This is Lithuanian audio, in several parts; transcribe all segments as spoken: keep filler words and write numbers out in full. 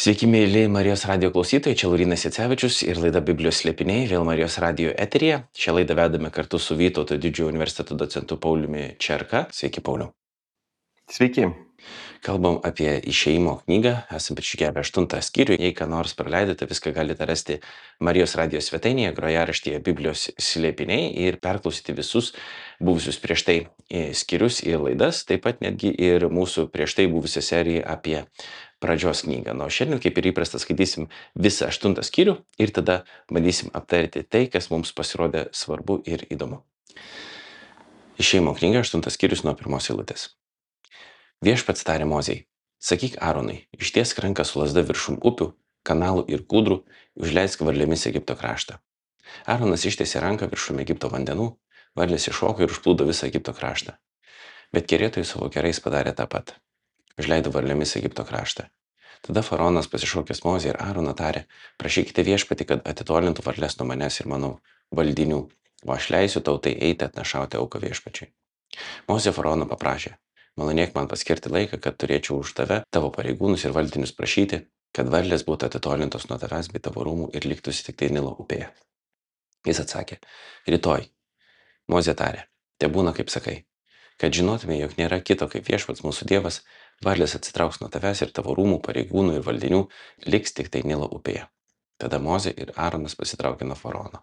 Sveiki, mėly Marijos radijo klausytojai, čia Laurynas Jacevičius ir laida Biblijos slėpiniai, vėl Marijos radijo eteryje. Šią laidą vedame kartu su Vytauto didžiojo universiteto docentu Pauliumi Čerka. Sveiki, Pauliau. Sveiki. Kalbam apie išėjimo knygą, esame prišikėję aštuntą skyrių. Jei ką nors praleidote, viską galite rasti Marijos radijo svetainėje, grojaraštyje Biblijos slėpiniai ir perklausyti visus buvusius prieš tai skyrius ir laidas, taip pat netgi ir mūsų prieš tai buvusią seriją apie pradžios knygą. Nu, šiandien, kaip ir įprasta, skaitysim visą aštuntą skyrių ir tada bandysim aptarti tai, kas mums pasirodė svarbu ir įdomu. Išėjimo knyga, aštuntas skyrius nuo pirmos eilutės. Viešpats tarė Mozei, sakyk Aaronui, ištiesk ranką su lazda viršum upių, kanalų ir kūdrų, užleisk varlėmis Egipto kraštą. Aaronas ištiesė ranką viršum Egipto vandenų, varlės iššoko ir užplūdo visą Egipto kraštą. Bet kerėtojai savo kerais padarė tą pat. Užleido varlėmis Egipto kraštą. Tada faraonas pasišaukęs Mozę ir Aaroną tarė, prašykite viešpatį, kad atitolintų varlės nuo manęs ir mano valdinių, o aš leisiu tautai eiti atnašauti auką viešpačiui. Mozė faraono paprašė, malonėk man paskirti laiką, kad turėčiau už tave, tavo pareigūnus ir valdinius prašyti, kad varlės būtų atitolintos nuo tavęs bei tavo rūmų ir liktųsi tik tai Nilo upėje. Jis atsakė, rytoj. Mozė tarė, tebūna kaip sakai, kad žinotume, jog nėra kito kaip viešpats mūsų Dievas, varlės atsitrauks nuo tavęs ir tavo rūmų, pareigūnų ir valdinių, liks tik tai Nilo upėje. Tada Mozė ir Aaronas pasitraukė nuo faraono.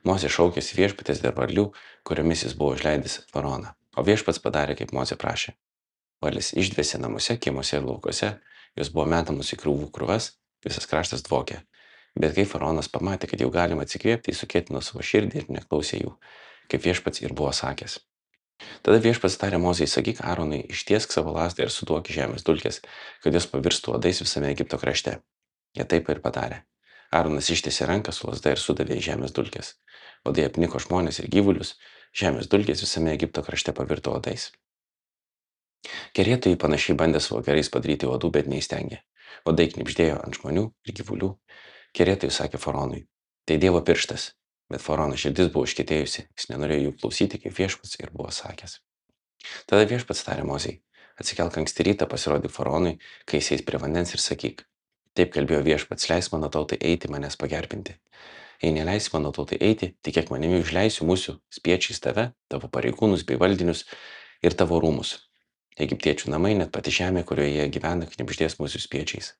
Mozė šaukėsi viešpatės dėl varlių, kuriomis jis buvo užleidęs faraoną, o viešpats padarė, kaip Mozė prašė. Varlės išdvėsė namuose, kiemuose ir laukuose, jos buvo metamos į krūvų krūvas, visas kraštas dvokė. Bet kai faraonas pamatė, kad jau galima atsikvėpti, jis sukėtino savo širdį ir neklausė jų, kaip viešpats ir buvo sakęs. Tada viešpats tarė Mozei, sakyk Aaronui, ištiesk savo lazdą ir suduok žemės dulkės, kad jos pavirstų uodais visame Egipto krašte. Jie taip ir padarė. Aaronas ištiesė ranką su lazda ir sudavė į žemės dulkės. Uodai apniko žmonės ir gyvulius, žemės dulkės visame Egipto krašte pavirto uodais. Kerėtojai panašiai bandė savo kerais padaryti uodų, bet neįstengė. Uodai knibždėjo ant žmonių ir gyvulių. Kerėtojai sakė faraonui, tai Dievo pirštas. Bet faraono širdis buvo užkietėjusi, jis nenorėjo jų klausyti, kaip viešpats ir buvo sakęs. Tada viešpats tarė Mozei, atsikelk anksti rytą, pasirodyk faraonui, kai jis eis prie vandens ir sakyk, taip kalbėjo viešpats, leis mano tautai eiti manęs pagerbinti. Jei neleisi mano tautai eiti, tikėk manimi užleisiu mūsų spiečiais tave, tavo pareigūnus bei valdinius ir tavo rūmus. Egiptiečių namai, net pati žemė, kurioje jie gyvena, knibždės mūsų spiečiais.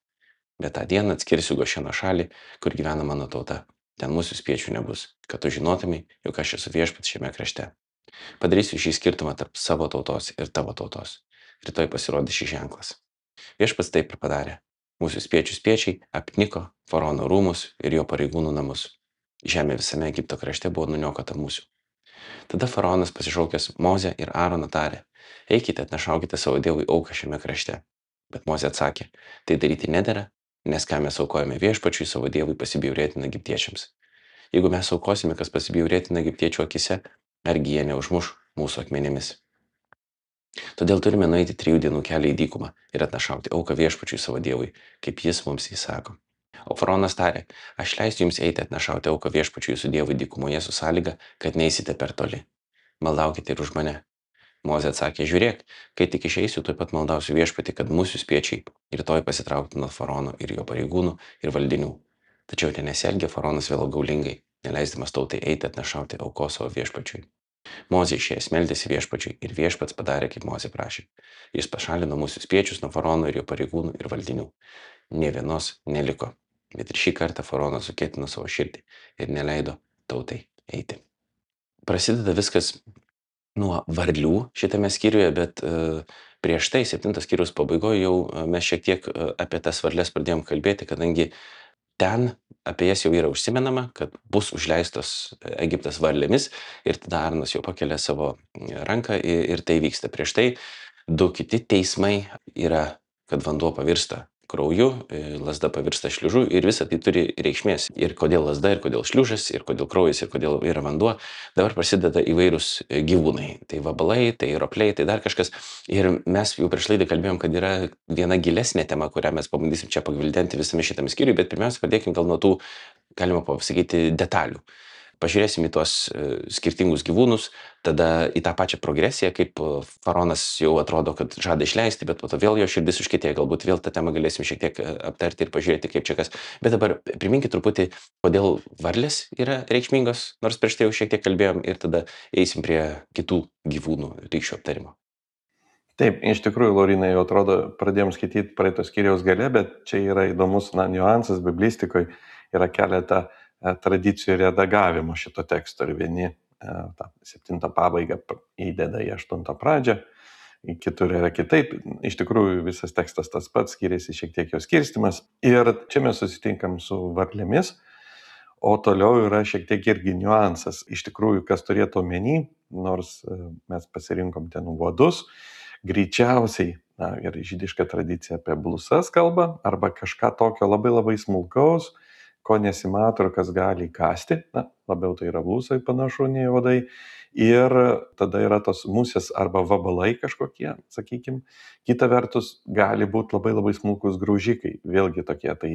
Bet tą dieną atskirsiu Gošeno šalį, kur gyvena mano tauta. Ten mūsų spiečių nebus, kad tu žinotumai, jog aš esu viešpats šiame krašte. Padarysiu šį skirtumą tarp savo tautos ir tavo tautos. Rytoj pasirodys šis ženklas. Viešpats taip ir padarė. Mūsų spiečių spiečiai apniko faraono rūmus ir jo pareigūnų namus. Žemė visame Egipto krašte buvo nuniokota mūsų. Tada faraonas pasišaukęs Mozę ir Aaroną tarė, eikite atnašaukite savo Dievui auką šiame krašte. Bet Mozė atsakė, tai daryti nedera, nes ką mes aukojame viešpačiui savo Dievui pasibjaurėtina egiptiečiams. Jeigu mes aukosime, kas pasibjaurėtina egiptiečių akise, argi jie neužmuš mūsų akmenėmis. Todėl turime nueiti trijų dienų kelią į dykumą ir atnašauti auką viešpačiui savo Dievui, kaip jis mums įsako. O faraonas tarė, aš leisiu jums eiti atnašauti auką viešpačiui jūsų Dievui dykumoje su sąlyga, kad neisite per toli. Maldaukite ir už mane. Mozė atsakė, žiūrėk, kai tik išeisiu, tuoj pat maldausiu viešpatį, kad mūsų spiečiai rytoj pasitrauktų nuo faraono ir jo pareigūnų ir valdinių. Tačiau ten nesielgė faraonas vėl gaulingai, neleisdamas tautai eiti atnašauti aukos savo viešpačiui. Mozė išėjęs meldėsi viešpačiui ir viešpats padarė, kaip Mozė prašė. Jis pašalino mūsų spiečius nuo faraono ir jo pareigūnų ir valdinių. Nė vienos neliko, bet ir šį kartą faraonas sukėtino savo širdį ir neleido tautai eiti. Prasideda viskas nuo varlių šitame skyriuje, bet uh, prieš tai, septintas skyrius pabaigoje, jau uh, mes šiek tiek uh, apie tas varlės pradėjom kalbėti, kadangi ten apie jas jau yra užsimenama, kad bus užleistos Egiptas varlėmis ir tada Aaronas jau pakelia savo ranką ir, ir tai vyksta. Prieš tai du kiti teismai yra, kad vanduo pavirsta krauju, lazda pavirsta šliužu ir visa tai turi reikšmės. Ir kodėl lazda, ir kodėl šliužas, ir kodėl kraujas, ir kodėl yra vanduo. Dabar prasideda įvairūs gyvūnai. Tai vabalai, tai ropliai, tai dar kažkas. Ir mes jau prieš laidą kalbėjom, kad yra viena gilesnė tema, kurią mes pabandysim čia pagvildenti visame šitame skyriui, bet pirmiausia, pradėkim gal nuo tų, galima pasakyti, detalių. pažiūrėsim į tuos skirtingus gyvūnus, tada į tą pačią progresiją, kaip faraonas jau atrodo, kad žada išleisti, bet po to vėl jo širdis užkietėja, galbūt vėl tą temą galėsim šiek tiek aptarti ir pažiūrėti, kaip čia kas. Bet dabar priminkit truputį, kodėl varlės yra reikšmingos, nors prieš tai jau šiek tiek kalbėjom, ir tada eisim prie kitų gyvūnų rykščių aptarimo. Taip, iš tikrųjų, Laurinai, jau atrodo, pradėjom skaityti praeitos skyriaus gale, bet čia yra įdomus na, niuansas biblistikoje, yra keletą e, tradicijų redagavimo šito teksto ir vieni e, tą septintą pabaigą įdeda į aštuntą pradžią, kitur yra kitaip. Iš tikrųjų, visas tekstas tas pats, skiriasi šiek tiek jo skirstimas. Ir čia mes susitinkam su varlėmis, o toliau yra šiek tiek irgi niuansas. Iš tikrųjų, kas turėtų omeny, nors e, mes pasirinkom ten uodus, greičiausiai, na, ir žydiška tradicija apie blusas kalba, arba kažką tokio labai labai smulkaus, ko nesimato ir kas gali įkasti, na, labiau tai yra blusai panašu nei uodai, ir tada yra tos musės arba vabalai kažkokie, sakykime. Kita vertus, gali būti labai labai smulkus graužikai, vėlgi tokie, tai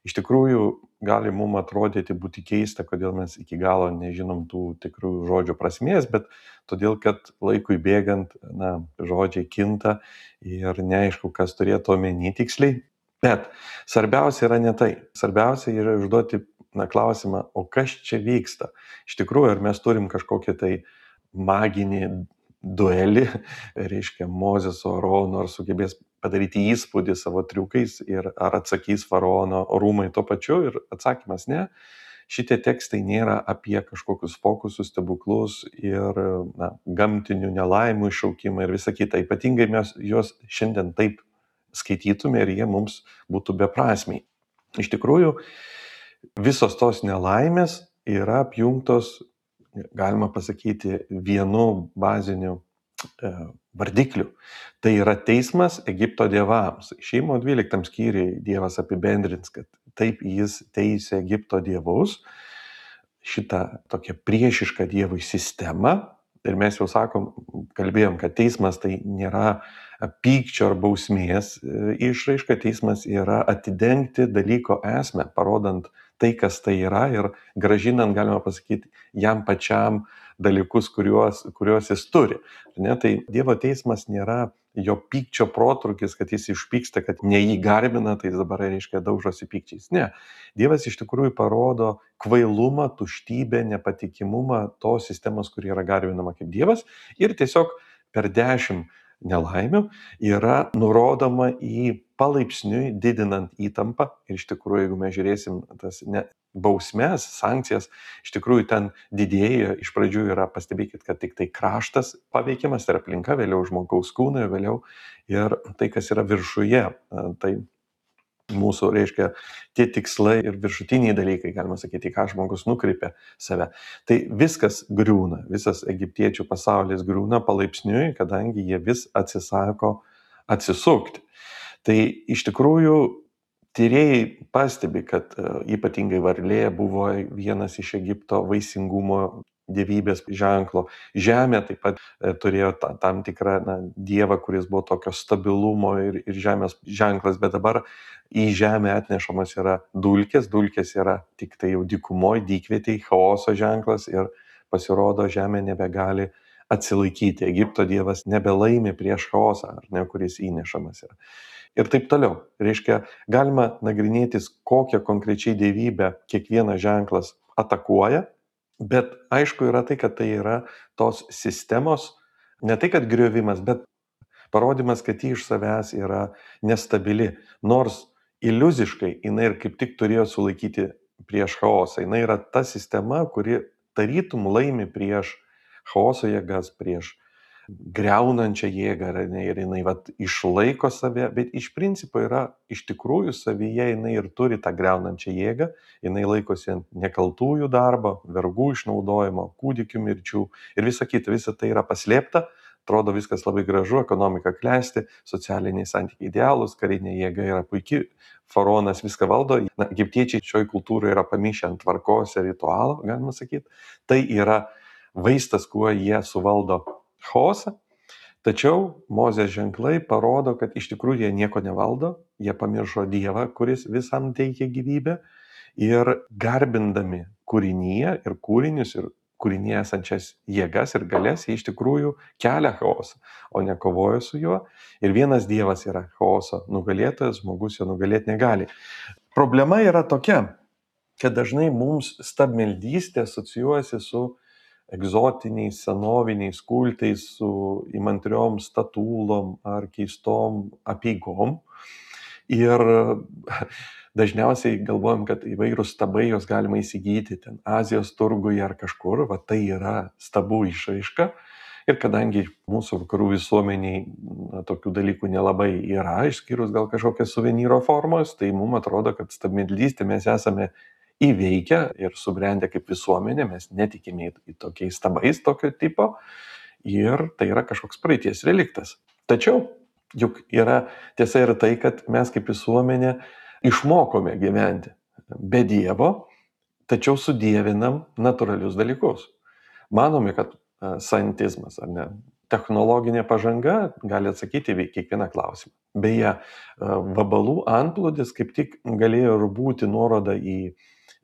iš tikrųjų gali mums atrodyti būti keista, kodėl mes iki galo nežinom tų tikrų žodžių prasmės, bet todėl, kad laikui bėgant, na, žodžiai kinta ir neaišku, kas turėtų omeny tiksliai. Bet svarbiausia yra ne tai. Svarbiausia yra užduoti na, klausimą, o kas čia vyksta. Iš tikrųjų, ar mes turim kažkokį tai maginį duelį, reiškia, Mozės su Aaronu, ar sugebės padaryti įspūdį savo triukais ir ar atsakys faraono rūmai tuo pačiu, ir atsakymas ne. Šitie tekstai nėra apie kažkokius fokusus, stebuklus ir na, gamtinių nelaimų iššaukimą ir visą kitą. Ypatingai mes juos šiandien taip skaitytume ir jie mums būtų beprasmiai. Iš tikrųjų, visos tos nelaimės yra apjungtos, galima pasakyti, vienu baziniu e, vardikliu. Tai yra teismas Egipto dievams. Išėjimo dvyliktam skyriui Dievas apibendrins, kad taip jis teisė Egipto dievus, šitą tokią priešišką Dievui sistemą. Ir mes jau sakom, kalbėjom, kad teismas tai nėra pykčio ar bausmės išraiška, teismas yra atidengti dalyko esmę, parodant tai, kas tai yra ir gražinant, galima pasakyti, jam pačiam dalykus, kuriuos, kuriuos jis turi. Ne, tai Dievo teismas nėra jo pykčio protrukis, kad jis išpyksta, kad ne jį garbina, tai jis dabar reiškia daužosi pykčiais. Ne, Dievas iš tikrųjų parodo kvailumą, tuštybę, nepatikimumą tos sistemos, kuri yra garbinama kaip Dievas, ir tiesiog per dešimt nelaimių yra nurodoma į palaipsniui didinant įtampą. Ir iš tikrųjų, jeigu mes žiūrėsim tas ne, bausmes, sankcijas, iš tikrųjų ten didėja. Iš pradžių yra, pastebėkit, kad tik tai kraštas paveikiamas, tai yra aplinka, vėliau žmogaus kūnai, vėliau ir tai, kas yra viršuje. Tai mūsų, reiškia, tie tikslai ir viršutiniai dalykai, galima sakyti, ką žmogus nukreipia save. Tai viskas griūna, visas egiptiečių pasaulis griūna palaipsniui, kadangi jie vis atsisako atsisukti. Tai iš tikrųjų tyrėjai pastebi, kad ypatingai varlė buvo vienas iš Egipto vaisingumo dievybės ženklo. Žemė taip pat turėjo tam tikrą na, dievą, kuris buvo tokio stabilumo ir, ir žemės ženklas, bet dabar į žemę atnešamas yra dulkės, dulkės yra tik tai jau dykumoje, dykvietėje, chaoso ženklas ir pasirodo žemė nebegali atsilaikyti. Egipto dievas nebelaimi prieš chaosą, ar ne, kuris įnešamas yra. Ir taip toliau. Reiškia, galima nagrinėtis, kokią konkrečiai dievybę kiekvienas ženklas atakuoja, bet aišku yra tai, kad tai yra tos sistemos, ne tai, kad griovimas, bet parodymas, kad ji iš savęs yra nestabili. Nors iliuziškai jinai ir kaip tik turėjo sulaikyti prieš chaosą. Jinai yra ta sistema, kuri tarytum laimi prieš chaoso jėgas, prieš greunančią jėgą, ir jinai vat, išlaiko save, bet iš principo yra iš tikrųjų savyje, jinai ir turi tą greunančią jėgą, jinai laikosi ant nekaltųjų darbo, vergų išnaudojimo, kūdikių mirčių ir visa kita, visa tai yra paslėpta, atrodo viskas labai gražu, ekonomika klesti, socialiniai santykiai idealūs, karinė jėga yra puikiai, faraonas viską valdo, na, egiptiečiai šioje kultūroje yra pamišę ant tvarkos ir ritualo, galima sakyti, tai yra vaistas, kuo jie suvaldo chaosą, tačiau Mozės ženklai parodo, kad iš tikrųjų jie nieko nevaldo, jie pamiršo Dievą, kuris visam teikia gyvybę ir garbindami kūrinyje ir kūrinius ir kūrinyje esančias jėgas ir galės, jie iš tikrųjų kelia chaosą, o ne kovoja su juo. Ir vienas Dievas yra chaoso nugalėtojas, žmogus jo nugalėti negali. Problema yra tokia, kad dažnai mums stabmeldystė asocijuojasi su egzotiniais, senoviniais kultais, su įmantriom statulom ar keistom apeigom. Ir dažniausiai galvojam, kad įvairūs stabai jos galima įsigyti ten Azijos turguje ar kažkur, va tai yra stabų išraiška. Ir kadangi mūsų vakarų visuomeniai na, tokių dalykų nelabai yra, išskyrus gal kažkokias suvenyro formos, tai mums atrodo, kad stabmeldystė mes esame įveikę ir subrendę kaip visuomenė, mes netikime į tokiais stabais tokio tipo ir tai yra kažkoks praeities reliktas. Tačiau juk yra tiesa ir tai, kad mes kaip visuomenė išmokome gyventi be Dievo, tačiau sudievinam natūralius dalykus. Manome, kad scientizmas ar ne, technologinė pažanga gali atsakyti į kiekvieną klausimą. Beje, vabalų antplūdis kaip tik galėjo ir būti nuoroda į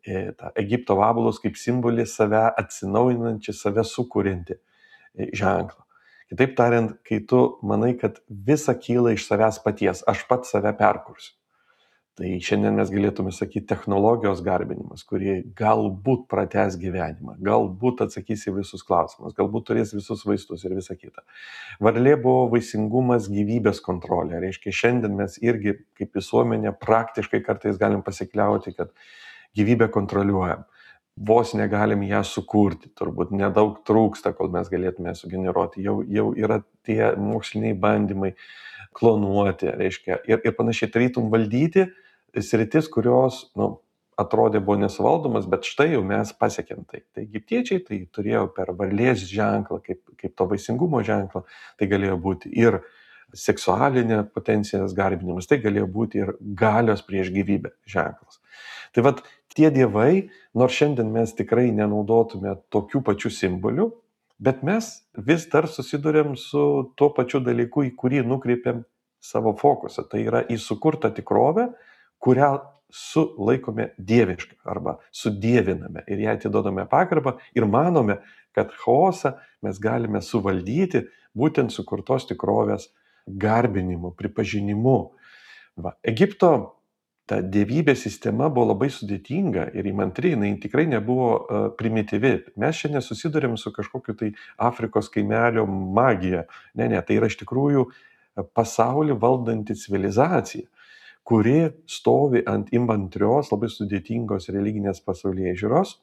tą Egipto vabalus kaip simbolį save atsinaujinantį, save sukuriantį ženklą. Kitaip tariant, kai tu manai, kad visa kyla iš savęs paties, aš pats save perkursiu. Tai šiandien mes galėtume sakyti technologijos garbinimas, kurie galbūt pratęs gyvenimą, galbūt atsakys į visus klausimus, galbūt turės visus vaistus ir visą kitą. Varlė buvo vaisingumas, gyvybės kontrolė. Reiškia, šiandien mes irgi kaip visuomenė praktiškai kartais galim pasikliauti, kad gyvybę kontroliuojam. Vos negalim ją sukurti, turbūt nedaug trūksta, kol mes galėtume sugeneruoti. Jau, jau yra tie moksliniai bandymai klonuoti, reiškia, ir, ir panašiai tarytum valdyti sritis, kurios nu, atrodė buvo nesuvaldomas, bet štai jau mes pasiekėm tai. Tai egiptiečiai tai turėjo per varlės ženklą, kaip, kaip to vaisingumo ženklą, tai galėjo būti ir seksualinė potencijos garbinimas, tai galėjo būti ir galios prieš gyvybę ženklas. Tai vat tie dievai, nors šiandien mes tikrai nenaudotume tokių pačių simbolių, bet mes vis dar susidurėm su tuo pačiu dalyku, į kurį nukreipiam savo fokusą. Tai yra į sukurtą tikrovę, kurią sulaikome dievišką arba sudieviname ir ją atidodame pagarbą ir manome, kad chaosą mes galime suvaldyti būtent sukurtos tikrovės garbinimu, pripažinimu. Va, Egipto ta dievybės sistema buvo labai sudėtinga ir įmantri, jinai tikrai nebuvo uh, primityvi. Mes šiandien susidurėm su kažkokiu tai Afrikos kaimelio magija. Ne, ne, tai yra iš tikrųjų pasaulį valdanti civilizacija, kuri stovi ant įmantrios, labai sudėtingos religinės pasaulėžiūros.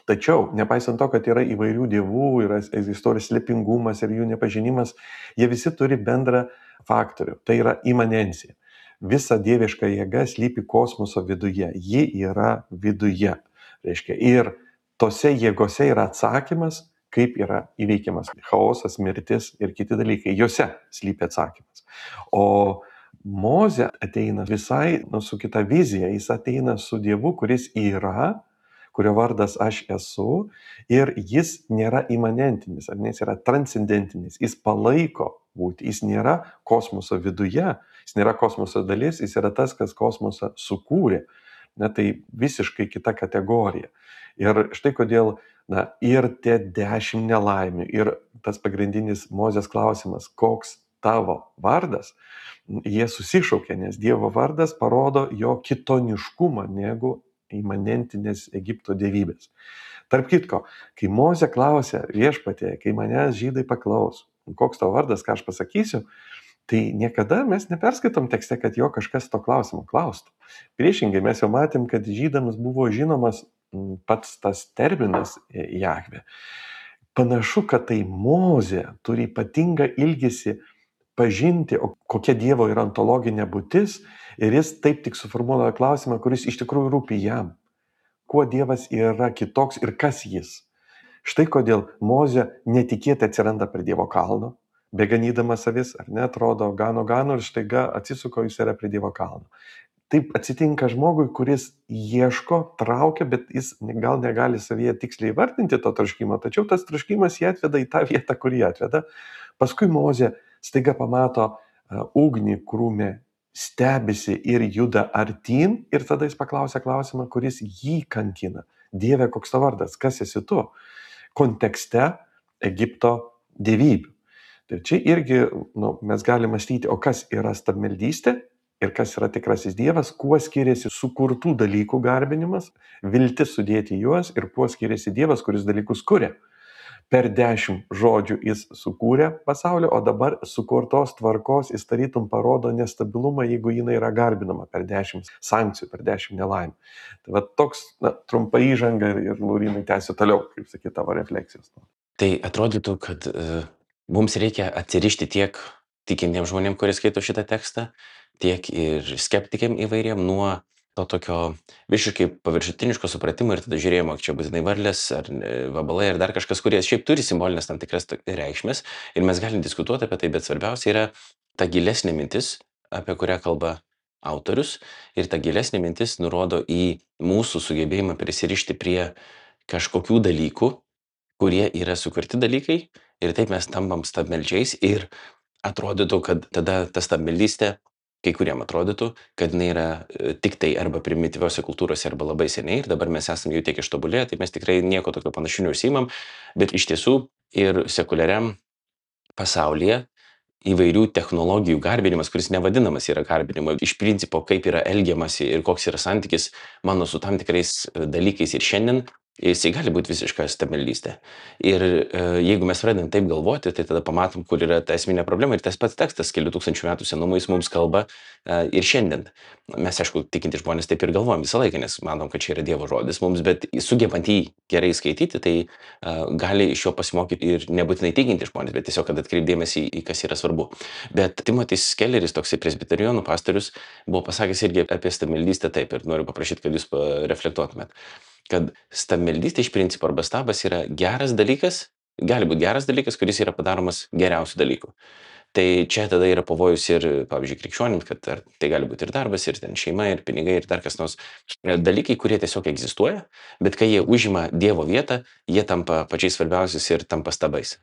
Tačiau, nepaisant to, kad yra įvairių dievų, yra egzistuoja slėpingumas ir jų nepažinimas, jie visi turi bendrą faktorių. Tai yra imanencija. Visa dieviška jėga slypi kosmoso viduje. Ji yra viduje. Reiškia, ir tose jėgose yra atsakymas, kaip yra įveikiamas chaosas, mirtis ir kiti dalykai. Jose slypi atsakymas. O Mozė ateina visai nu, su kita vizija. Jis ateina su Dievu, kuris yra, kurio vardas aš esu, ir jis nėra imanentinis, ar ne, jis yra transcendentinis. Jis palaiko būti. Jis nėra kosmoso viduje, jis nėra kosmoso dalis, jis yra tas, kas kosmosą sukūrė. Na, tai visiškai kita kategorija. Ir štai kodėl na, ir tie dešimt nelaimių, ir tas pagrindinis Mozės klausimas, koks tavo vardas, jie susišaukia, nes Dievo vardas parodo jo kitoniškumą negu imanentinės Egipto dievybės. Tarp kitko, kai Mozė klausė viešpatie, kai manęs žydai paklaus, koks tavo vardas, ką aš pasakysiu, tai niekada mes neperskaitom tekste, kad jo kažkas to klausimo klaustų. Priešingai, mes jau matėm, kad žydams buvo žinomas pats tas terminas Jahvė. Panašu, kad tai Mozė turi ypatingą ilgesį pažinti, o kokia Dievo yra ontologinė būtis, ir jis taip tik suformuoja klausimą, kuris iš tikrųjų rūpi jam. Kuo Dievas yra kitoks ir kas jis? Štai kodėl Mozė netikėtai atsiranda prie Dievo kalno, beganydamas avis, ar ne, atrodo, gano gano ir štaiga atsisuko, jis yra prie Dievo kalno. Taip atsitinka žmogui, kuris ieško, traukia, bet jis gal negali savyje tiksliai įvardinti to troškimo, tačiau tas troškimas jį atveda į tą vietą, kur jį atveda. Paskui Mozė staiga pamato uh, ugnį krūme, stebisi ir juda artyn, ir tada jis paklausia klausimą, kuris jį kankina. Dieve, koks tavo vardas, kas esi tu? Kontekste Egipto dievybių. Tai čia irgi nu, mes galime mąstyti, o kas yra stabmeldystė ir kas yra tikrasis Dievas, kuo skiriasi sukurtų dalykų garbinimas, viltis sudėti juos ir kuo skiriasi Dievas, kuris dalykus kuria. Per dešimt žodžių jis sukūrė pasaulį, o dabar sukurtos tvarkos jis tarytum parodo nestabilumą, jeigu jinai yra garbinama per dešimt sankcijų, per dešimt nelaimę. Tai va toks na, trumpa įžanga ir, ir Laurinai tęsiu toliau, kaip sakyti, tavo refleksijos. Tai atrodytų, kad uh, mums reikia atsirišti tiek tikintiems žmonėms, kurie skaito šitą tekstą, tiek ir skeptikiam įvairiem nuo to tokio visiškai paviršutiniško supratimo ir tada žiūrėjimo, čia būtinai varlės ar vabalai ar dar kažkas, kurie šiaip turi simbolinės tam tikras reikšmės ir mes galim diskutuoti apie tai, bet svarbiausia yra ta gilesnė mintis, apie kurią kalba autorius, ir ta gilesnė mintis nurodo į mūsų sugebėjimą prisirišti prie kažkokių dalykų, kurie yra sukurti dalykai ir taip mes tampam stabmeldžiais ir atrodytų, kad tada ta stabmeldystė, kai kuriem atrodytų, kad jinai yra tik tai arba primityviose kultūrose arba labai seniai ir dabar mes esame jau tiek ištobulėję, tai mes tikrai nieko tokio panašių neužsiimam, bet iš tiesų ir sekuliariam pasaulyje įvairių technologijų garbinimas, kuris nevadinamas yra garbinimu, iš principo kaip yra elgiamasi ir koks yra santykis mano su tam tikrais dalykais ir šiandien, jisai gali būti visiška stabmeldystė. Ir e, jeigu mes pradedam taip galvoti, tai tada pamatom, kur yra ta esminė problema ir tas pats tekstas kelių tūkstančių metų senumo jis mums kalba e, ir šiandien. Mes, aišku, tikinti žmonės taip ir galvojam visą laiką, nes manom, kad čia yra Dievo žodis mums, bet sugebant jį gerai skaityti, tai e, gali iš jo pasimokyti ir nebūtinai tikinti žmonės, bet tiesiog, kad atkreipdėmėsi į, į kas yra svarbu. Bet Timotis Kelleris, toksai presbiterionų pastorius, buvo pasakęs irgi apie stabmeldystę taip ir noriu paprašyti, kad jūs reflektuotumėt, kad stabmeldystė iš principo arba stabas yra geras dalykas, gali būti geras dalykas, kuris yra padaromas geriausių dalykų. Tai čia tada yra pavojus ir, pavyzdžiui, krikščionims, kad ar, tai gali būti ir darbas, ir ten šeima, ir pinigai, ir dar kas nors dalykai, kurie tiesiog egzistuoja, bet kai jie užima Dievo vietą, jie tampa pačiais svarbiausiais ir tampa stabais.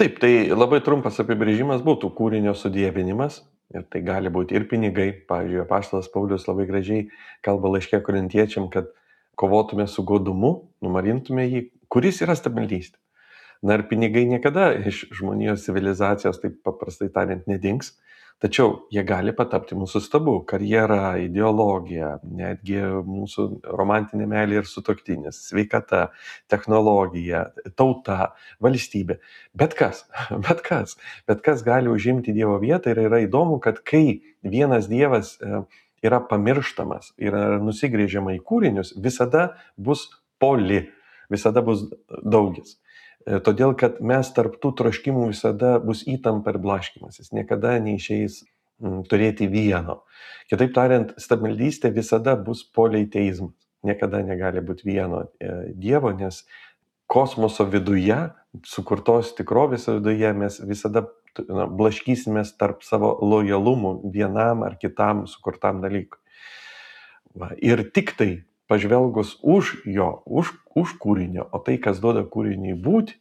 Taip, tai labai trumpas apibrėžimas būtų kūrinio sudievinimas. Ir tai gali būti ir pinigai. Pavyzdžiui, apaštalas Paulius labai gražiai kalba laiške korintiečiam, kad kovotume su godumu, numarintume jį, kuris yra stabmeldystė. Na ir pinigai niekada iš žmonijos civilizacijos, taip paprastai tariant, nedings, tačiau jie gali patapti mūsų stabu. Karjera, ideologija, netgi mūsų romantinė meilė ir sutuoktinis, sveikata, technologija, tauta, valstybė. Bet kas, bet kas, bet kas gali užimti Dievo vietą ir yra įdomu, kad kai vienas Dievas yra pamirštamas, yra nusigrėžiama į kūrinius, visada bus poli, visada bus daugis. Todėl, kad mes tarp tų troškimų visada bus įtampa ir blaškymasis, niekada neišeis m, turėti vieno. Kitaip tariant, stabmeldystė visada bus politeizmas, niekada negali būti vieno e, Dievo, nes kosmoso viduje, sukurtos tikrovės viduje mes visada na, blaškysimės tarp savo lojalumų vienam ar kitam sukurtam dalykui. Va, ir tik tai pažvelgus už jo, už, už kūrinio, o tai, kas duoda kūriniui būti,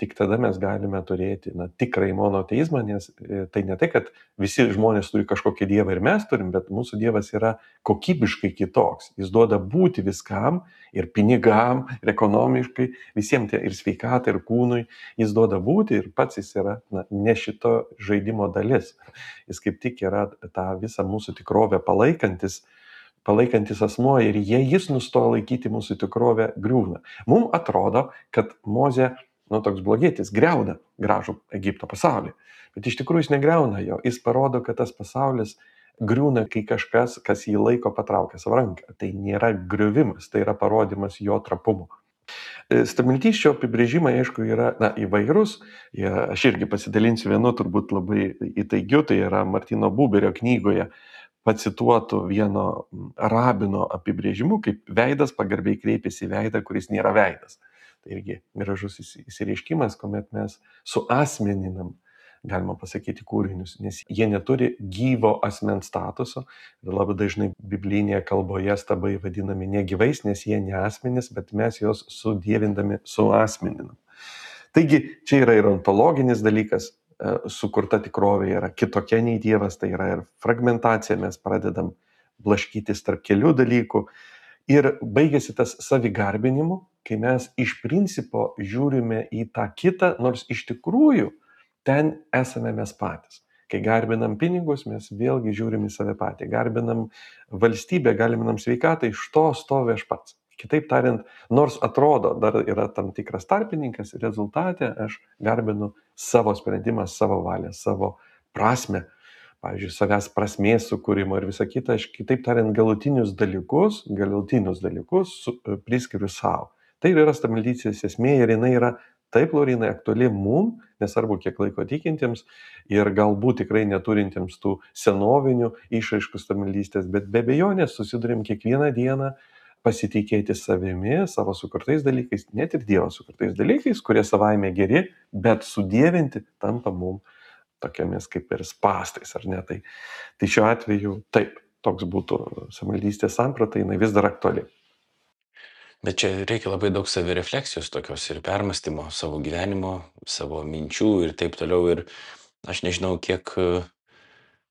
tik tada mes galime turėti na, tikrai monoteizmą, nes tai ne tai, kad visi žmonės turi kažkokį dievą ir mes turim, bet mūsų dievas yra kokybiškai kitoks. Jis duoda būti viskam, ir pinigam, ir ekonomiškai, visiems ir sveikatai, ir kūnui. Jis duoda būti ir pats jis yra na, ne šito žaidimo dalis. Jis kaip tik yra tą visą mūsų tikrovę palaikantis, palaikantis asmuo ir jei jis nustoja laikyti mūsų tikrovę, griūna. Mums atrodo, kad Mozė, nu toks blogietis, griauna gražų Egipto pasaulį. Bet iš tikrųjų jis negriauna jo. Jis parodo, kad tas pasaulis griūna, kai kažkas, kas jį laiko, patraukia savo ranką. Tai nėra griuvimas, tai yra parodimas jo trapumo. Stabmeldysčio apibrėžimai, aišku, yra na, įvairūs. Ja, aš irgi pasidalinsiu vienu, turbūt labai įtaigiu, tai yra Martino Buberio knygoje pacituotų vieno rabino apibrėžimu, kaip veidas pagarbiai kreipiasi į veidą, kuris nėra veidas. Tai irgi gražus įsireiškimas, kuomet mes suasmeninam, galima pasakyti, kūrinius, nes jie neturi gyvo asmens statuso. Ir labai dažnai biblinėje kalboje stabai vadinami negyvais, nes jie ne asmenys, bet mes juos sudievindami suasmeninam. Taigi čia yra ir ontologinis dalykas, sukurta tikrovė yra kitokia nei Dievas, tai yra ir fragmentacija, mes pradedam blaškytis tarp kelių dalykų. Ir baigėsi tas savigarbinimu, kai mes iš principo žiūrime į tą kitą, nors iš tikrųjų ten esame mes patys. Kai garbinam pinigus, mes vėlgi žiūrim į save patį. Garbinam valstybę, garbinam sveikatą, iš to stovi aš pats. Kitaip tariant, nors atrodo, dar yra tam tikras tarpininkas, rezultate aš garbinu savo sprendimą, savo valią, savo prasme, pavyzdžiui, savęs prasmės sukūrimo ir visą kitą, aš kitaip tariant, galutinius dalykus, galutinius dalykus su, priskiriu savo. Tai yra stabmeldystės esmė ir jinai yra taip, Laurinai, aktuali mum, nesvarbu kiek laiko tikintiems ir galbūt tikrai neturintiems tų senovinių išraiškų stabmeldystės, bet be abejonės susidurim kiekvieną dieną pasitikėti savimi, savo sukurtais dalykais, net ir Dievo sukurtais dalykais, kurie savaime geri, bet sudievinti tampa mum tokiamis kaip ir spastais, ar ne? Tai, tai šiuo atveju taip, toks būtų stabmeldystės samprata, jinai vis dar aktuali. Bet čia reikia labai daug savirefleksijos tokios ir permastymo savo gyvenimo, savo minčių ir taip toliau. Ir aš nežinau, kiek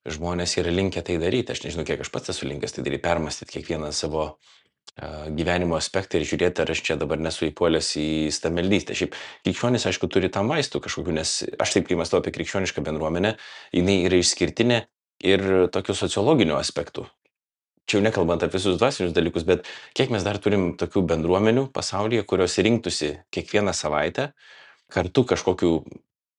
žmonės yra linkę tai daryti. Aš nežinau, kiek aš pats esu linkęs tai daryti, permastyti kiekvieną savo uh, gyvenimo aspektą ir žiūrėti, ar aš čia dabar nesu įpuolęs į stabmeldystę. Šiaip krikščionis, aišku, turi tam vaistų kažkokių, nes aš taip, kai mąstau apie krikščionišką bendruomenę, jinai yra išskirtinė ir tokių sociologinių aspektų. Čia jau nekalbant apie visus dvasinius dalykus, bet kiek mes dar turim tokių bendruomenių pasaulyje, kurios rinktųsi kiekvieną savaitę kartu kažkokių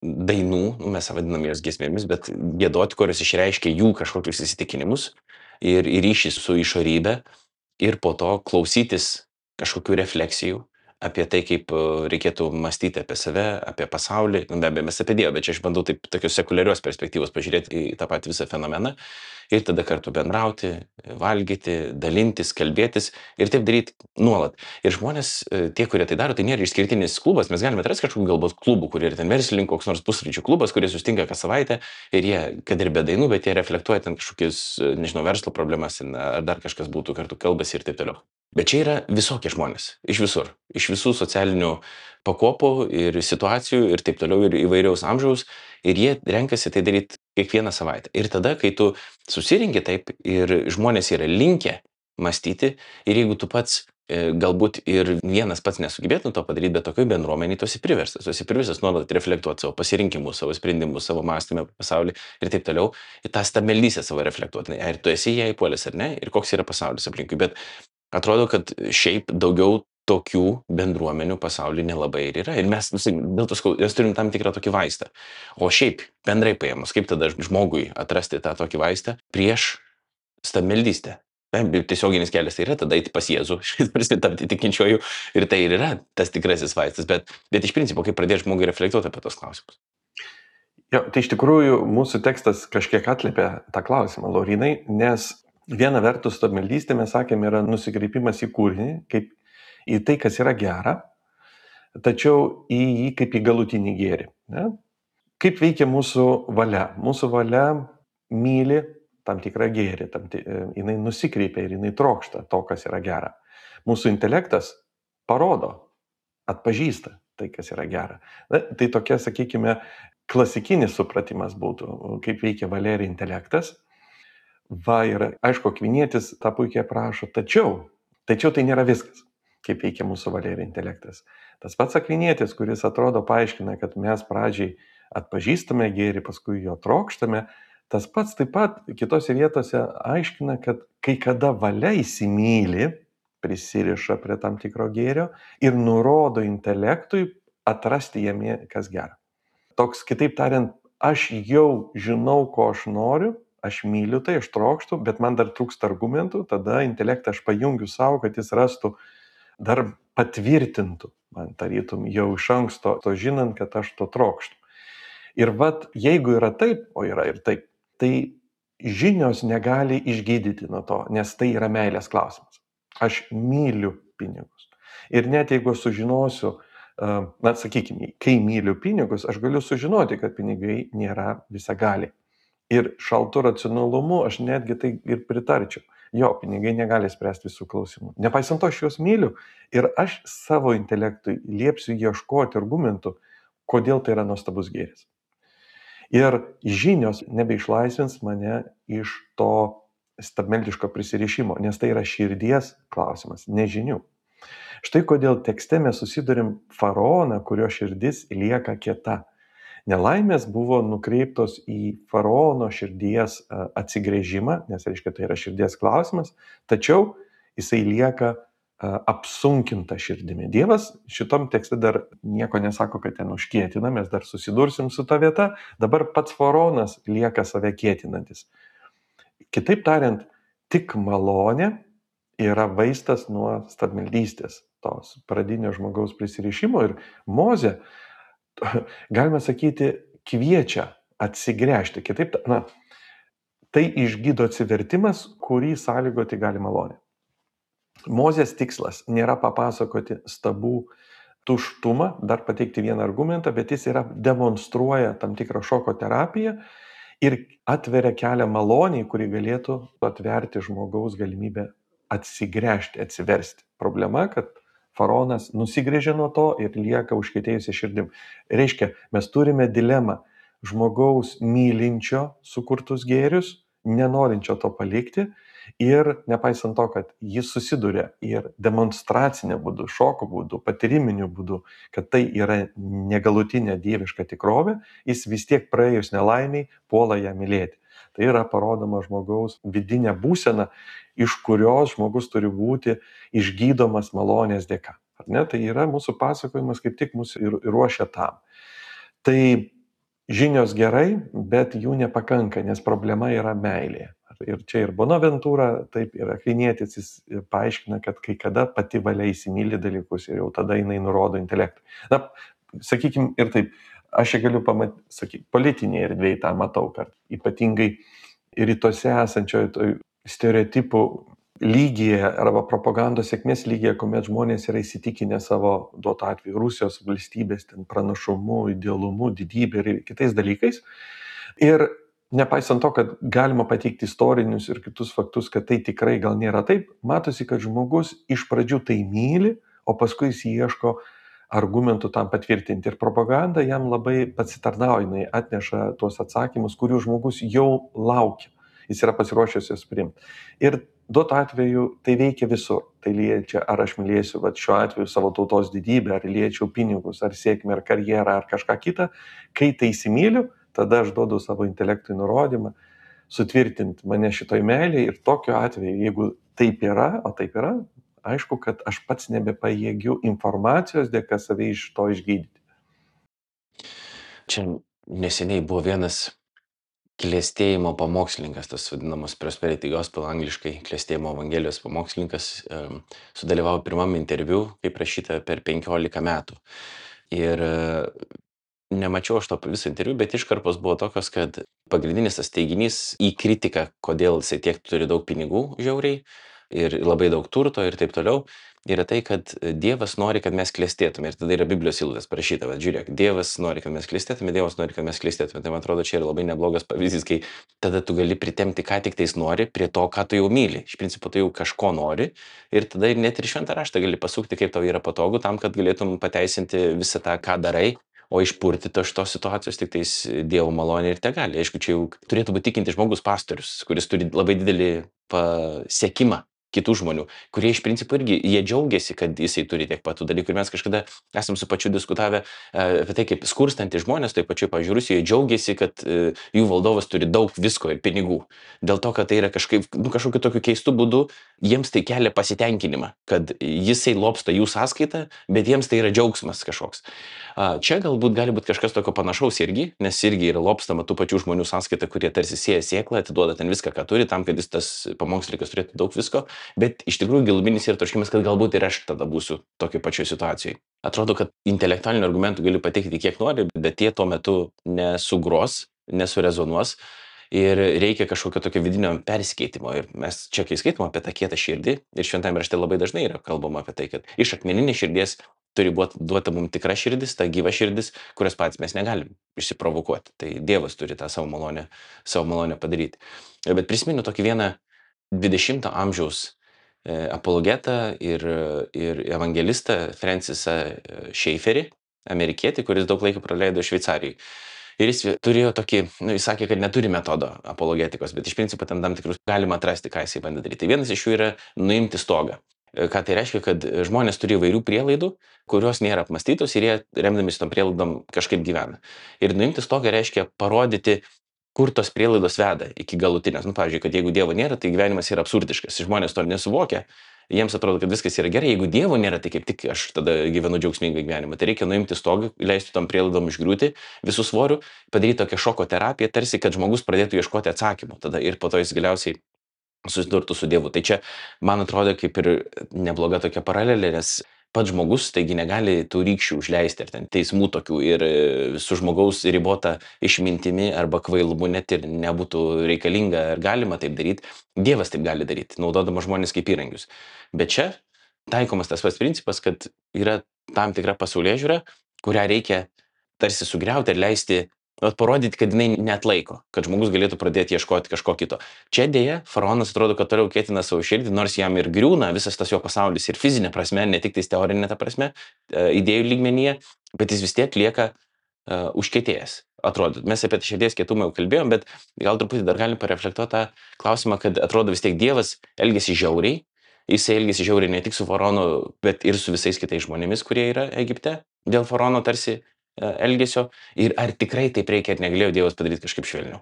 dainų, nu, mes vadinam jas giesmėmis, bet giedoti, kurios išreiškia jų kažkokius įsitikinimus ir, ir ryšį su išorybė ir po to klausytis kažkokių refleksijų apie tai, kaip reikėtų mąstyti apie save, apie pasaulį, nu, be abejo, mes apie Dievą, bet čia aš bandau taip tokios sekuliarios perspektyvos pažiūrėti į tą patį visą fenomeną ir tada kartu bendrauti, valgyti, dalintis, kalbėtis ir taip daryti nuolat. Ir žmonės, tie, kurie tai daro, tai nėra išskirtinis klubas, mes galime atrasti kažkokių galbūt klubų, kurie yra ten verslininkų, koks nors pusryčių klubas, kurie sustinka kas savaitę ir jie, kad ir be dainų, bet jie reflektuoja ten kažkokius, nežinau, verslo problemas ar dar kažkas būtų, kartu kalbasi ir taip toliau. Bet čia yra visokie žmonės, iš visur, iš visų socialinių pakopų ir situacijų ir taip toliau ir įvairiaus amžiaus ir jie renkasi tai daryti kiekvieną savaitę. Ir tada, kai tu susirinki taip ir žmonės yra linkę mąstyti ir jeigu tu pats e, galbūt ir vienas pats nesugebėtum to padaryti, bet tokioj bendruomeniai tu esi priverstas, tu esi priverstas nuolat reflektuoti savo pasirinkimus, savo sprendimus, savo mąstymą apie pasaulį ir taip toliau, ir tą stabmeldystę savo reflektuoti, ar tu esi ją įpuolęs ar ne, ir koks yra pasaulis aplinkui. Bet atrodo, kad šiaip daugiau tokių bendruomenių pasaulyje nelabai ir yra. Ir mes, dėl to sakau, mes turim tam tikrą tokį vaistą. O šiaip, bendrai paėmus, kaip tada žmogui atrasti tą tokį vaistą prieš stabmeldystę? Tiesioginis kelias tai yra tada eiti pas Jėzų, tapti tikinčiuoju, ir tai ir yra tas tikrasis vaistas. Bet, bet iš principo, kaip pradėti žmogui reflektuoti apie tos klausimus? Jo, tai iš tikrųjų mūsų tekstas kažkiek atliepia tą klausimą, Laurinai, nes viena vertus stabmeldystė, mes sakėme, yra nusikreipimas į kūrinį, kaip į tai, kas yra gera, tačiau į jį kaip į galutinį gėrį. Ne? Kaip veikia mūsų valia? Mūsų valia myli tam tikrą gėrį, tam t... jinai nusikreipia ir jinai trokšta to, kas yra gera. Mūsų intelektas parodo, atpažįsta tai, kas yra gera. Na, tai tokia, sakykime, klasikinis supratimas būtų, kaip veikia valia ir intelektas. Va, ir aišku, Akvinietis tą puikiai aprašo, tačiau, tačiau tai nėra viskas, kaip veikia mūsų valia ir intelektas. Tas pats Akvinietis, kuris atrodo paaiškina, kad mes pradžiai atpažįstame gėrį, paskui jo trokštame, tas pats taip pat kitose vietose aiškina, kad kai kada valia įsimyli, prisiriša prie tam tikro gėrio ir nurodo intelektui atrasti jame, kas gera. Toks, kitaip tariant, aš jau žinau, ko aš noriu, aš myliu tai, aš trokštu, bet man dar trūksta argumentų, tada intelektą aš pajungiu savo, kad jis rastų, dar patvirtintų, man tarytum jau iš anksto, to žinant, kad aš to trokštu. Ir vat, jeigu yra taip, o yra ir taip, tai žinios negali išgydyti nuo to, nes tai yra meilės klausimas. Aš myliu pinigus. Ir net jeigu aš sužinosiu, na, sakykime, kai myliu pinigus, aš galiu sužinoti, kad pinigai nėra visagaliai. Ir šaltu racionalumu aš netgi tai ir pritarčiau. Jo, pinigai negali spręsti visų klausimų. Nepaisant to, aš juos myliu ir aš savo intelektui liepsiu ieškoti argumentų, kodėl tai yra nuostabus gėris. Ir žinios nebeišlaisvins mane iš to stabmeldiško prisirišimo, nes tai yra širdies klausimas, nežinių. Štai kodėl tekste mes susidurim faraoną, kurio širdis lieka kieta. Nelaimės buvo nukreiptos į faraono širdies atsigrėžimą, nes reiškia tai yra širdies klausimas, tačiau jisai lieka apsunkinta širdimi. Dievas šitom tekste dar nieko nesako, kad ten užkietina, mes dar susidursim su ta vieta, dabar pats faraonas lieka save kietinantis. Kitaip tariant, tik malonė yra vaistas nuo stabmeldystės, tos pradinio žmogaus prisirišimo, ir Mozė, galime sakyti, kviečia atsigręžti. Kitaip, na, tai išgydo atsivertimas, kurį sąlygoti gali malonė. Mozės tikslas nėra papasakoti stabų tuštumą, dar pateikti vieną argumentą, bet jis yra demonstruoja tam tikrą šoko terapiją ir atveria kelią maloniai, kuri galėtų atverti žmogaus galimybę atsigręžti, atsiversti. Problema, kad faraonas nusigrėžė nuo to ir lieka užkietėjusi širdim. Reiškia, mes turime dilemą žmogaus mylinčio sukurtus gėrius, nenorinčio to palikti, ir nepaisant to, kad jis susiduria ir demonstracinė būdu, šoko būdu, patyriminiu būdu, kad tai yra negalutinė dieviška tikrovė, jis vis tiek praėjus nelaimiai puola ją mylėti. Tai yra parodoma žmogaus vidinė būsena, iš kurios žmogus turi būti išgydomas malonės dėka. Ar ne? Tai yra mūsų pasakojimas, kaip tik mūsų ir ruošia tam. Tai žinios gerai, bet jų nepakanka, nes problema yra meilė. Ir čia ir Bonaventūra, taip, ir Akvinietis, jis paaiškina, kad kai kada pati valia įsimyli dalykus ir jau tada jinai nurodo intelektui. Na, sakykime ir taip, aš čia galiu pamatyti, sakykime, politinėje erdvėje tą matau, kad ypatingai rytuose esančioje stereotipų lygyje arba propagandos sėkmės lygyje, kuomet žmonės yra įsitikinę savo, duoto atveju, Rusijos valstybės ten pranašumu, idealumu, didybė ir kitais dalykais. Ir nepaisant to, kad galima pateikti istorinius ir kitus faktus, kad tai tikrai gal nėra taip, matosi, kad žmogus iš pradžių tai myli, o paskui jis ieško argumentų tam patvirtinti. Ir propaganda jam labai pasitarnauja, jinai atneša tuos atsakymus, kurių žmogus jau laukia. Jis yra pasiruošęs jas priimti. Ir duoto atveju tai veikia visur. Tai liečia, ar aš mylėsiu, va, šiuo atveju savo tautos didybę, ar liečiau pinigus, ar sėkmę, ar karjerą, ar kažką kitą. Kai tai įsimyliu, tada aš duodu savo intelektui nurodymą sutvirtinti mane šitoj meilėje, ir tokiu atveju, jeigu taip yra, o taip yra, aišku, kad aš pats nebepajėgiu informacijos dėka save iš to išgydyti. Čia neseniai buvo vienas klėstėjimo pamokslininkas, tas vadinamas Prosperity Gospel, angliškai klėstėjimo evangelijos pamokslininkas, sudalyvavo pirmam interviu, kaip rašyta, per penkiolika metų. Ir nemačiau aš to visą interviu, bet iškarpos buvo tokios, kad pagrindinis tas teiginys į kritiką, kodėl jisai tiek turi daug pinigų žiauriai ir labai daug turto ir taip toliau, yra tai, kad Dievas nori, kad mes klestėtume. Ir tada yra Biblijos eilutės parašyta, bet žiūrėk, Dievas nori, kad mes klestėtume, Dievas nori, kad mes klestėtume. Tai man atrodo, čia yra labai neblogas pavyzdys, kai tada tu gali pritemti, ką tik tais nori, prie to, ką tu jau myli. Iš principo, tu jau kažko nori ir tada net ir šventą raštą gali pasukti, kaip tau yra patogu, tam, kad galėtum pateisinti visą tą, ką darai. O išpurtyti šitos situacijos tik tais Dievo malonė ir tegali. Aišku, čia jau turėtų būti tikintis žmogus pastorius, kuris turi labai didelį pasiekimą kitų žmonių, kurie iš principo irgi, jie džiaugiasi, kad jisai turi tiek patų dalykų. Ir mes kažkada esam su pačiu diskutavę apie tai, kaip skurstantys žmonės, tai pačiu, pavyzdžiui, Rusijoje džiaugiasi, kad jų valdovas turi daug visko ir pinigų. Dėl to, kad tai yra kažkaip, nu, kažkokiu tokiu keistu būdu, jiems tai kelia pasitenkinimą, kad jisai lobsta jų sąskaitą, bet jiems tai yra džiaugsmas kažkoks. Čia galbūt gali būti kažkas tokio panašaus irgi, nes irgi yra lobstama tų pačių žmonių sąskaita, kurie tarsi sėja sėklą, atiduoda ten viską, ką turi, tam, kad jis tas pamokslininkas turėtų daug visko. Bet iš tikrųjų giluminis yra troškimas, kad galbūt ir aš tada būsiu tokioje pačioje situacijoje. Atrodo, kad intelektualinių argumentų gali pateikti kiek nori, bet jie tuo metu nesugros, nesurezonuos ir reikia kažkokio tokio vidinio persikeitimo. Ir mes čia, kai skaitom apie tą kietą širdį, ir šventame rašte labai dažnai yra kalbama apie tai, kad iš akmeninės širdies turi būti duota mums tikra širdis, ta gyva širdis, kurios patys mes negalim išsiprovokuoti. Tai Dievas turi tą savo malonę, savo malonę padaryti. Bet prisimenu tokį vieną dvidešimto amžiaus apologetą ir, ir evangelistą Francisą Schaefferį, amerikietį, kuris daug laiko praleido Šveicarijai. Ir jis turėjo tokį, nu, jis sakė, kad neturi metodo apologetikos, bet iš principo ten tam tikrus galima atrasti, ką jisai bandė daryti. Tai vienas iš jų yra nuimti stogą. Ką tai reiškia, kad žmonės turi įvairių prielaidų, kurios nėra apmastytos ir jie remdamės tom prielaidom kažkaip gyvena. Ir nuimti stogą reiškia parodyti, kur tos prielaidos veda iki galutinės. Nu, pavyzdžiui, kad jeigu Dievo nėra, tai gyvenimas yra absurdiškas. Žmonės to nesuvokia. Jiems atrodo, kad viskas yra gerai. Jeigu Dievo nėra, tai kaip tik aš tada gyvenu džiaugsmingą gyvenimą. Tai reikia nuimti stogą, leisti tom prielaidom išgriūti visų svorių, padaryti tokią šoko terapiją, tarsi kad žmogus pradėtų ieškoti atsakymų. Tada ir po to jis galiausiai susidurtų su Dievu. Tai čia, man atrodo, kaip ir nebloga tokia paralelė, nes pats žmogus, taigi negali tų rykščių užleisti ar ten teismų tokių ir su žmogaus ribota išmintimi arba kvailumu net ir nebūtų reikalinga ar galima taip daryti. Dievas taip gali daryti, naudodamas žmonės kaip įrankius. Bet čia taikomas tas pats principas, kad yra tam tikra pasaulėžiūra, kurią reikia tarsi sugriauti ir leisti, vat, parodyti, kad jinai neatlaiko, kad žmogus galėtų pradėti ieškoti kažko kito. Čia dėja, faraonas atrodo, kad toliau ketina savo širdį, nors jam ir griūna visas tas jo pasaulis ir fizinė prasme, ne tik tais teorinė ta prasme, idėjų lygmenyje, bet jis vis tiek lieka uh, užkietėjęs. Atrodo, mes apie širdies kietumą jau kalbėjom, bet gal truputį dar galim pareflektuoti tą klausimą, kad atrodo vis tiek Dievas elgiasi žiauriai, jisai elgiasi žiauriai ne tik su faraonu, bet ir su visais kitais žmonėmis, kurie yra Egipte, dėl faraono tarsi elgesio, ir ar tikrai taip reikia, ar negalėjo Dievas padaryti kažkaip švelniau?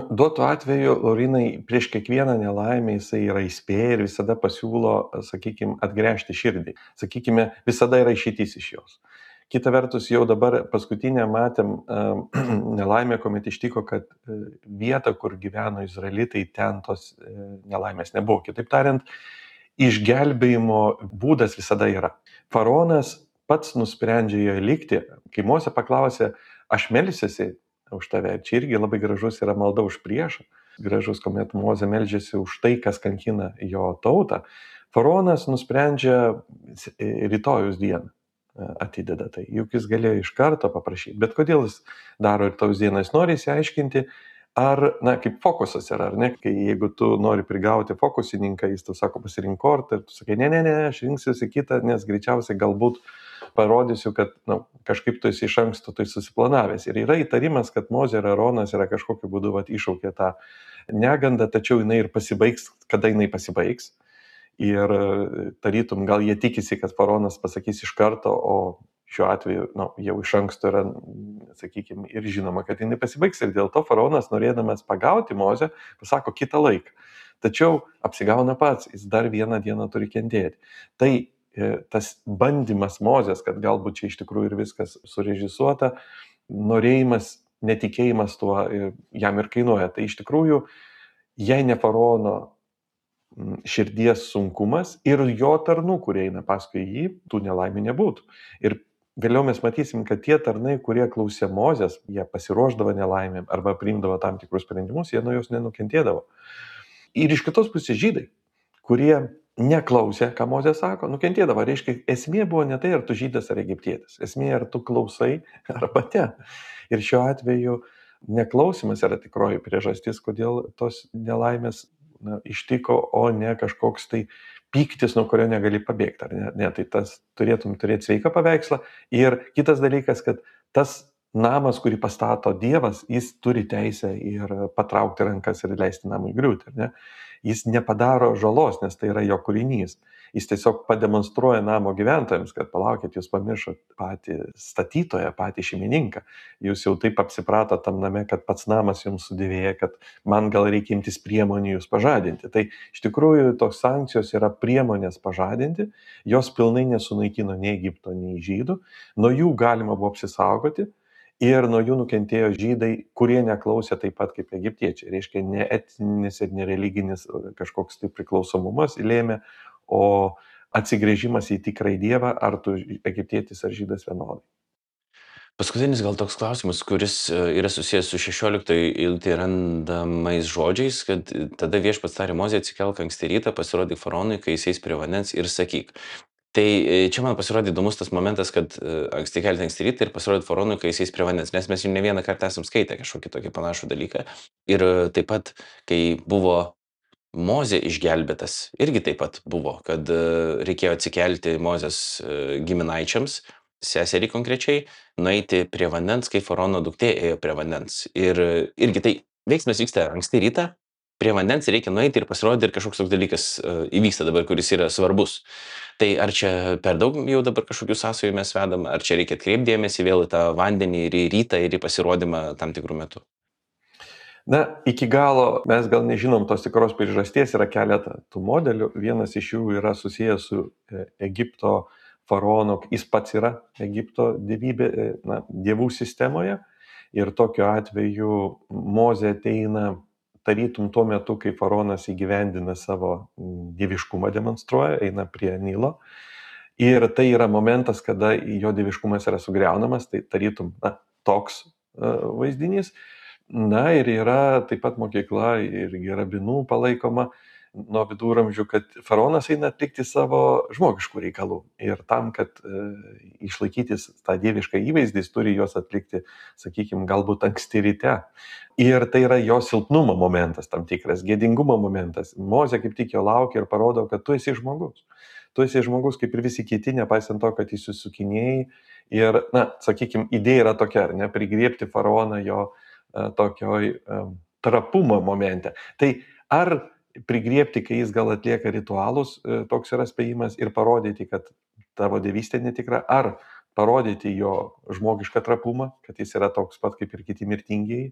Duotu atveju, Laurinai, prieš kiekvieną nelaimę jisai yra įspėję ir visada pasiūlo, sakykime, atgręžti širdį. Sakykime, visada yra išeitis iš jos. Kita vertus, jau dabar paskutinę matėm nelaimę, kuomet ištiko, kad vieta, kur gyveno izraelitai, ten tos nelaimės nebuvo. Kitaip tariant, išgelbėjimo būdas visada yra. Faraonas pats nusprendžia joje likti. Kai Mozė paklausė, aš melsiuosi už tave, čia irgi labai gražus yra malda už priešą. Gražus, kuomet Mozė meldžiasi už tai, kas kankina jo tautą. Faraonas nusprendžia rytojus dieną atideda tai. Juk jis galėjo iš karto paprašyti. Bet kodėl jis daro rytojus dieną? Jis nori įsiaiškinti, ar, na, kaip fokusas yra, ar ne? Kai jeigu tu nori prigauti fokusininką, jis tu sako pasirink kortą ir tu sakai, ne, ne, ne, aš rinksiuosi kitą, nes greičiausiai galbūt parodysiu, kad na, kažkaip tu esi iš anksto tai susiplanavęs. Ir yra įtarimas, kad Mozė ir Aronas yra kažkokiu būdu vat, iššaukė tą negandą, tačiau jinai ir pasibaigs, kada jinai pasibaigs. Ir tarytum, gal jie tikisi, kad faraonas pasakys iš karto, o šiuo atveju nu, jau iš anksto yra, sakykime, ir žinoma, kad jinai pasibaigs. Ir dėl to faraonas, norėdamas pagauti Mozę, pasako kitą laiką. Tačiau apsigauna pats, jis dar vieną dieną turi kentėti. Tai tas bandymas Mozės, kad galbūt čia iš tikrųjų ir viskas surežisuota, norėjimas, netikėjimas tuo jam ir kainuoja. Tai iš tikrųjų, jei ne faraono širdies sunkumas ir jo tarnų, kurie eina paskui jį, tų nelaimių nebūtų. Ir vėliau mes matysim, kad tie tarnai, kurie klausė Mozės, jie pasiruošdavo nelaimėm arba priimdavo tam tikrus sprendimus, jie nuo jos nenukentėdavo. Ir iš kitos pusės žydai, kurie neklausė, ką Mozė sako, nukentėdavo. Reiškia, esmė buvo ne tai, ar tu žydas ar egiptietis. Esmė, ar tu klausai arba ne. Ir šiuo atveju neklausimas yra tikroji priežastis, kodėl tos nelaimės na, ištiko, o ne kažkoks tai pyktis, nuo kurio negali pabėgti. Ar ne? Ne, tai tas turėtum turėti sveiką paveikslą. Ir kitas dalykas, kad tas namas, kurį pastato Dievas, jis turi teisę ir patraukti rankas ir leisti namui griūti. Ar ne? Jis nepadaro žalos, nes tai yra jo kūrinys. Jis tiesiog pademonstruoja namo gyventojams, kad palaukit, jūs pamiršot patį statytoją, patį šeimininką. Jūs jau taip apsiprato tam name, kad pats namas jums sudėvėja, kad man gal reikia imtis priemonių jūs pažadinti. Tai iš tikrųjų tos sankcijos yra priemonės pažadinti, jos pilnai nesunaikino nei Egipto, nei žydų, nuo jų galima buvo apsisaugoti. Ir nuo jų nukentėjo žydai, kurie neklausė taip pat kaip egiptiečiai. Reiškia, ne etinis ir nereliginis kažkoks tai priklausomumas lėmė, o atsigrėžimas į tikrąjį Dievą, ar tu egiptietis ar žydas vienodai. Paskutinis gal toks klausimas, kuris yra susijęs su šešioliktoje eilutėje randamais žodžiais, kad tada viešpats tarė Mozei atsikelk anksti rytą, pasirodyk faraonui, kai jis eis prie vandens ir sakyk. Tai čia man pasirodė įdomus tas momentas, kad anksti kelti anksti rytą ir pasirodyti faraonui, kai jis eis prie vandens, nes mes jau ne vieną kartą esam skaitę kažkokį tokį panašų dalyką. Ir taip pat, kai buvo Mozė išgelbėtas, irgi taip pat buvo, kad reikėjo atsikelti Mozės giminaičiams seserį konkrečiai nueiti prie vandens, kai faraono duktė ėjo prie vandens. Ir irgi tai veiksmas vyksta anksti rytą, prie vandens reikia nueiti ir pasirodyti ir kažkoks toks dalykas uh, įvyksta dabar, kuris yra svarbus. Tai ar čia per daug jau dabar kažkokių sąsajų mes vedam, ar čia reikia atkreipdėmėsi vėl į tą vandenį ir į rytą ir į pasirodymą tam tikrų metų? Na, iki galo mes gal nežinom tos tikros priežasties, yra keletą tų modelių. Vienas iš jų yra susijęs su Egipto faraonu, jis pats yra Egipto dievybė, na, dievų sistemoje. Ir tokiu atveju Mozė ateina tarytum tuo metu, kai faraonas įgyvendina savo dieviškumą, demonstruoja, eina prie Nilo. Ir tai yra momentas, kada jo dieviškumas yra sugriaunamas, tai tarytum, na, toks uh, vaizdinys. Na ir yra taip pat mokykla irgi rabinų palaikoma nuo viduramžių, kad faraonas eina atlikti savo žmogiškų reikalų. Ir tam, kad e, išlaikyti tą dievišką įvaizdį, jis turi juos atlikti, sakykime, galbūt anksti ryte. Ir tai yra jo silpnumo momentas, tam tikras gėdingumo momentas. Mozė kaip tik jo laukia ir parodo, kad tu esi žmogus. Tu esi žmogus kaip ir visi kiti, nepaisant to, kad jis susukinėjai. Ir, na, sakykime, idėja yra tokia, ar ne, prigriebti faraoną jo tokioj um, trapumo momente. Tai ar prigriebti, kai jis gal atlieka ritualus, toks yra spėjimas, ir parodyti, kad tavo dievystė netikra, ar parodyti jo žmogišką trapumą, kad jis yra toks pat kaip ir kiti mirtingieji,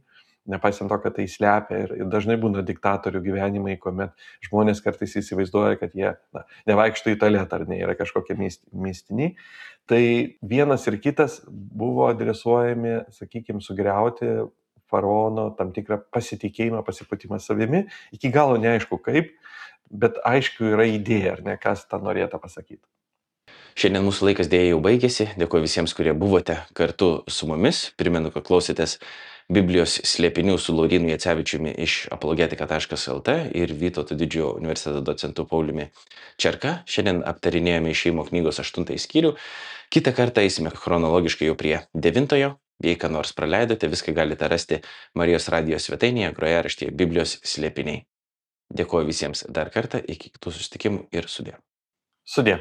nepaisant to, kad tai slepia. Ir, ir dažnai būna diktatorių gyvenimai, kuomet žmonės kartais įsivaizduoja, kad jie na, nevaikšto į tualetą, ar ne, yra kažkokie mistiniai. Tai vienas ir kitas buvo adresuojami, sakykime, sugriauti faraono tam tikrą pasitikėjimą, pasipūtimą savimi. Iki galo neaišku kaip, bet aišku yra idėja, ar ne, kas tą norėtų pasakyti. Šiandien mūsų laikas dėja jau baigėsi. Dėkuoju visiems, kurie buvote kartu su mumis. Primenu, kad klausėtės Biblijos slėpinių su Laurynu Jacevičiumi iš apologetika taškas lt ir Vytauto didžiojo universiteto docentu Pauliumi Čerka. Šiandien aptarinėjome išėjimo knygos aštuntąjį skyrių. Kitą kartą eisime chronologiškai jau prie devintojo. Jei ką nors praleidote, viską galite rasti Marijos radijos svetainėje, grojaraštyje Biblijos slėpiniai. Dėkuoju visiems dar kartą, iki kitų susitikimų ir sudie. Sudie.